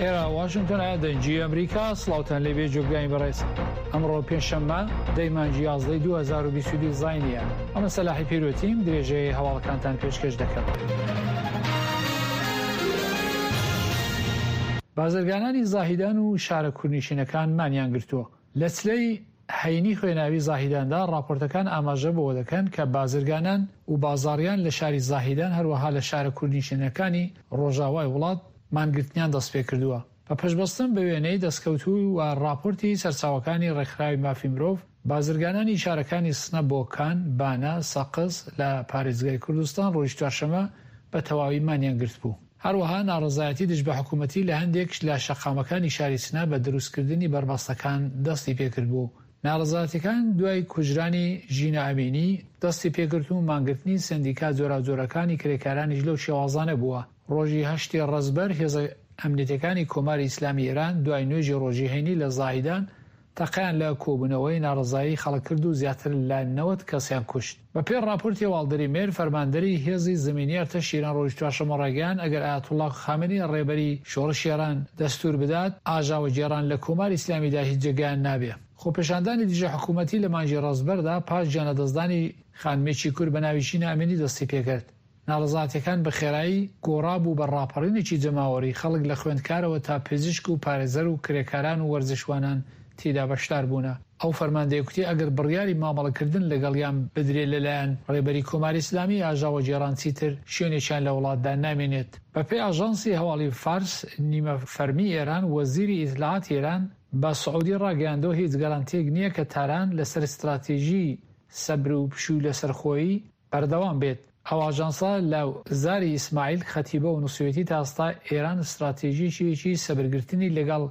ئێرە واشنتۆنە دەنگی ئەمریکا سڵاوتان لێبێ جۆگرانی بەڕێز ئەمڕۆ پێنجشەممە دەی مانگی یازدەی 2022 زاینیە ئەمە سەلاحی پیرۆتیم درێژەی هەواڵەکانتان پێشکەش دەکەم. بازرگانانی زاهیدان و شارە کوردنشینەکان مانیان گرتووە لە چلەی هەینی خوێناوی زاهیداندا ڕاپۆرتەکان ئاماژە بەوە دەکەن کە بازرگانان و بازاڕیان لە شاری زاهیدان هەروەها لە شارە کوردنشینەکانی ڕۆژاوای وڵات مانگرتنیان دەستپێکردووە. بە پشتبەستن بە وێنەی دەستکەوتوو و ڕاپۆرتی سەرچاوەکانی ڕێکخراوی مافی مرۆڤ، بازرگانانی شارەکانی سنە، بۆکان، بانە، سەقز لە پارێزگای کوردستان ڕۆژی چوارشەممە بە تەواوی مانیان گرتبوو. هەروەها ناڕەزایەتی دژ بە حکوومەتی لە هەندێک لە شەقامەکانی شاری سنە بە دروستکردنی بەربەستەکان دەستی پێکردبوو. ناڕەزایەتیەکان دوای کوژرانی ژینا ئەمینی دەستی پێکرد و مانگرتنی سەندیکا جۆراوجۆرەکانی کرێکارانیش لەو شێوازانە بووە. ڕۆژی هەشتی ڕەزبەر هێزە ئەمنیەتیەکانی کۆماری ئیسلامی ئێران دوای نوێژی ڕۆژی هەینی لە زاهیدان تەقەیان لە کۆبوونەوەی ناڕەزایی خەڵک کرد و زیاتر لە 90 کەسیان کوشت. بە پێی ڕاپۆرتی هەواڵدەری مێر، فەرماندەری هێزی زەمینی ئەرتەشی ئێران ڕۆژی چوارشەممە ڕایگەیاند ئەگەر ئایەتوڵڵا خامنەیی ڕێبەری شۆڕشی ئێران دەستوور بدات، ئاژاوەگێڕان لە کۆماری ئیسلامیدا هیچ جێگایان نابێ. خۆپێشاندانی دژە حکوومەتی لە مانگی ڕەزبەردا پاش گیانلەدەستدانی خانمێکی کورد بە ناوی ژینا ئەمینی دەستی پێکرد. ناڕەزاتیەکان بە خێرایی گۆڕا بوو بە ڕاپەڕینێکی جەماوەری، خەڵک لە خوێندکارەوە تا پزیشک و پارێزەر و کرێکاران و وەرزشوانان تێیدا بەشدار بوونە. ئەو فەرماندەیە کوتی ئەگەر بڕیاری مامەڵەکردن لەگەڵیان بدرێ لەلایەن ڕێبەری کۆماری ئیسلامی، ئاژاوەگێڕان چیتر شوێنێکیان لە وڵاتدا نامێنێت. بەپێی ئاژانسی هەواڵی فارس نیمە فەرمی ئێران، وەزیری ئیتلاعاتی ئێران بە سعودی ڕاگەیاندووە هیچ گەرەنتیەک نییە کە تاران لەسەر ستراتیژی سەبر و پشوو لەسەرخۆیی بەردەوام بێت. ئەو ئاژانسە لە زاری ئیسماعیل خەتیبەوە نووسیویەتی تا ئێستا ئێران ستراتیژییەکی سەبرگرتنی لەگەڵ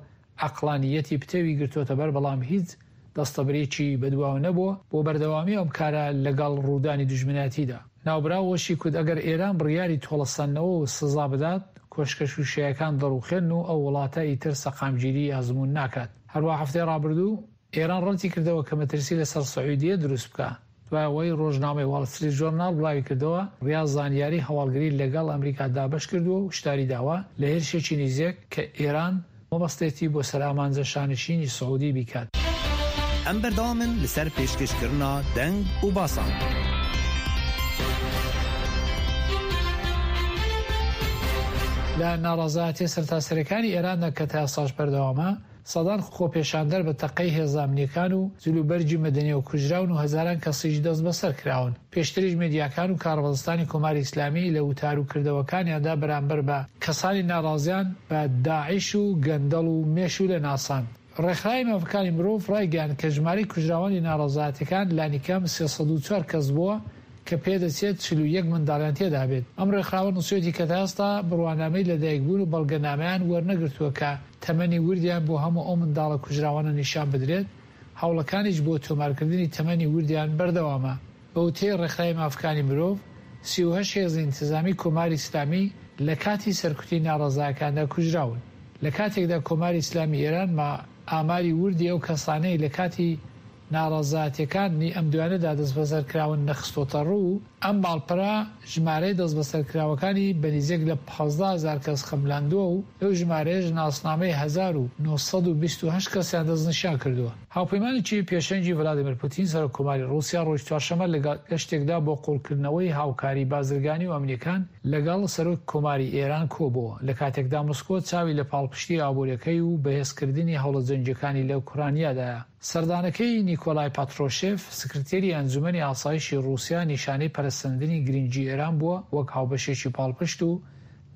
عەقڵانییەتی پتەوی گرتۆتەبەر بەڵام هیچ دەستەبرێکی بەدواوە نەبووە بۆ بەردەوامی ئەم کارە لەگەڵ ڕوودانی دوژمنایەتیدا. ناوبراو وەشی کوت ئەگەر ئێران بڕیاری تۆڵەسەندنەوە و سزا بدات کۆشکە شووشەیەکان دەڕووخێن و ئەو وڵاتە ئیتر سەقامگیری ئەزموون ناکات. هەروا هەفتەی ڕابردوو ئێران ڕەتی کردەوە کە مەترسی لەسەر سعودیە دروست بکا. دوای ئەوەی ڕۆژنامەی واڵ ستریت ژۆرناڵ بڵاویکردەوە، ڕیاز زانیاری هەواڵگری لەگەڵ ئەمریکا دابەش کردووە و هوشداری داوە لە هێرشێکی نیزێک کە ئێران مەبەستێتی بۆ سەر ئامانجە شانشینی سعودی بیکات. ئەم بەردەوامن لەسەر پێشکەشکردنا دەنگ و باسان. لە ناڕەزایەتیە سەرتاسەریەکانی ئێراندا کە تا ئێستاش بەردەوامە، سەدان خۆپێشاندەر بە تەقەی هێزە ئەمنییەکان و جلوبەرگی مەدەنییەوە کوژراون و هەزاران کەسیش دەستبەسەر کراون. پێشتریش مێدیاکان و کاربەدەستانی کۆماری ئیسلامی لە وتار و کردەوەکانیاندا بەرامبەر بە کەسانی ناڕازیان بە داعش و گەندەڵ و مێشوولە ناساند. ڕێکخراوی مافەکانی مرۆڤ ڕایگەیاند کە ژمارەی کوژراوانی ناڕەزایەتیەکان لانیکەم 304 کەس بووە کە پێدەچێت 41 منداڵیان تێدابێت. ئەم ڕێکخراوە نووسیویەتی کە تا ئێستا بڕوانامەی لەدایکبوون و بەڵگەنامەیان وەرنەگرتووە کە تەمەنی وردیان بۆ هەموو ئەو منداڵە کوژراوانە نیشان بدرێت، هەوڵەکانیش بۆ تۆمارکردنی تەمەنی وردیان بەردەوامە. بە وتەی ڕێکخراوی مافەکانی مرۆڤ، 38 هێزی ئینتزامی کۆماری ئیسلامی لە کاتی سەرکوتی ناڕەزایەکاندا کوژراون. لە کاتێکدا کۆماری ئیسلامی ئێران ما ئاماری وردی ئەو کەسانەی لە کاتی ناڕەزایەتیەکان ی ئەم دوایانەدا دەستبەسەرکراون نەخستۆتەڕوو، ئەم ماڵپەرە ژمارەی دەستبەسەرکراوەکانی بە نیزیک لە 15 هەزار کەس خەملاندووە و لەو ژمارەیەش ناسنامەی 1928 کەسیان دەستنیشان کردووە. هاوپەیمانێکی پێشەنگی ڤلادیمێر پوتین سەرۆک کۆماری ڕووسیا ڕۆژی چوارشەممە لە گەشتێکدا بۆ قووڵکردنەوەی هاوکاری بازرگانی و ئەمنییەکان لەگەڵ سەرۆک کۆماری ئێران کۆبۆوە، لە کاتێکدا مسکۆ چاوی لە پاڵپشتی ئابووریەکەی و بەهێزکردنی هەوڵە جەنگییەکانی لە ئۆکرانیادایە. سەردانەکەی نیکۆلای پاترۆشێف، سکرتێری ئەنجومەنی ئاسایشی ڕووسیا نیشانەی پەرەسەندنی گرنگی ئێران بووە وەک هاوبەشێکی پاڵپشت و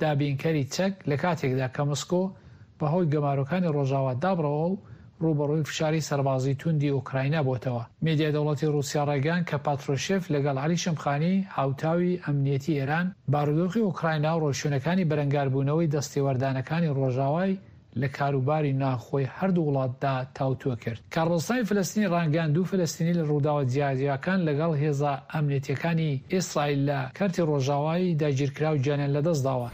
دابینکەری چەک، لە کاتێکدا کە مسکۆ بەهۆی گەمارۆکانی ڕۆژاوا دابڕاوە و ڕووبەڕووی فشاری سەربازی توندی ئۆکراینا بۆتەوە. میدیای دەوڵەتی ڕووسیا ڕایگەیاند کە پاترۆشێف لەگەڵ عەلی شەمخانی، هاوتاوی ئەمنیەتی ئێران، بارودۆخی ئۆکراینا و ڕێوشوێنەکانی بەرەنگاربوونەوەی دەستێوەردانەکانی ڕۆژاوای لە کاروباری ناوخۆی هەردوو وڵاتدا تاوتوێ کرد. کاربەدەستانی فلستینی ڕایانگەیاند دوو فلستینی لە ڕووداوە جیاجیاکان لەگەڵ هێزە ئەمنیەتییەکانی ئیسرائیل لە کەرتی ڕۆژاوای داگیرکراو گیانیان لەدەستداوە.